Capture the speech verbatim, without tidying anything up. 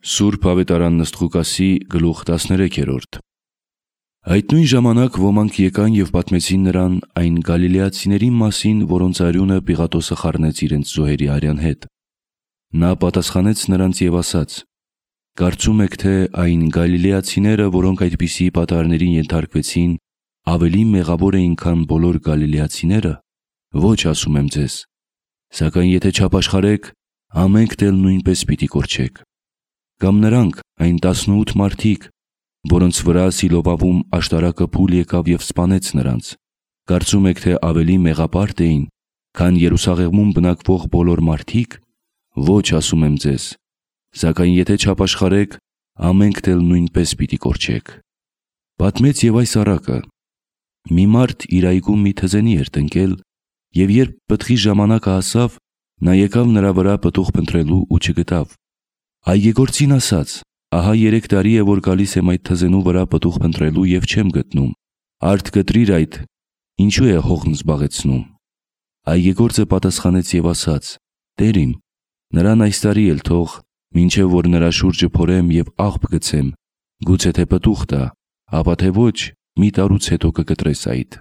Սուրբ Ավետարան Նըստղուկասի գլուխ տասներեքերորդ Այդ նույն ժամանակ ոմանք եկան և պատմեցին նրան այն գալիլեացիների մասին, որոնց արյունը Պիղատոսը խառնեց իրենց զոհերի արյան հետ։ Նա պատասխանեց նրանց և ասաց. «Կարծում եք, թե այն գալիլեացիները, որոնք այդպիսի պատահարներին ենթարկվեցին, ավելի մեղավոր էին, քան բոլոր գալիլեացիները։ Ոչ, ասում եմ ձեզ, սակայն եթե չապաշխարեք, ամենքդ էլ նույնպես պիտի կորչեք։ Կամ նրանք, այն տասնութ մարդիկ, որոնց վրա Սիլովավում աշտարակը փուլ եկավ և սպանեց նրանց, կարծում եք, թե ավելի մեղապարտ էին, քան Երուսաղեմում բնակվող բոլոր մարդիկ։ Ոչ, ասում եմ ձեզ, սակայն եթե չապաշխարեք, ամենքդ էլ նույնպես պիտի կորչեք»։ Պատմեց և այս առակը. մի մարդ իր այգում մի թզենի էր տնկել, և երբ պտղի ժամանակը հասավ, նա եկավ նրա վրա պտուղ փնտրելու ու չգտավ։ Այգեգործին ասաց. «Ահա երեք տարի է, որ գալիս եմ այդ թզենու վրա պտուղ փնտրելու և չեմ գտնում։ Արդ կտրիր այդ, ինչու է հողն զբաղեցնում»։ Այգեգործը պատասխանեց և ասաց. «Տեր իմ, նրան այս տարի էլ թող, մինչև որ նրա շուրջը փորեմ և աղբ գցեմ, գուցե թե պտուղ տա, ապա թե ոչ, մի տարուց հետո կկտրես այդ»։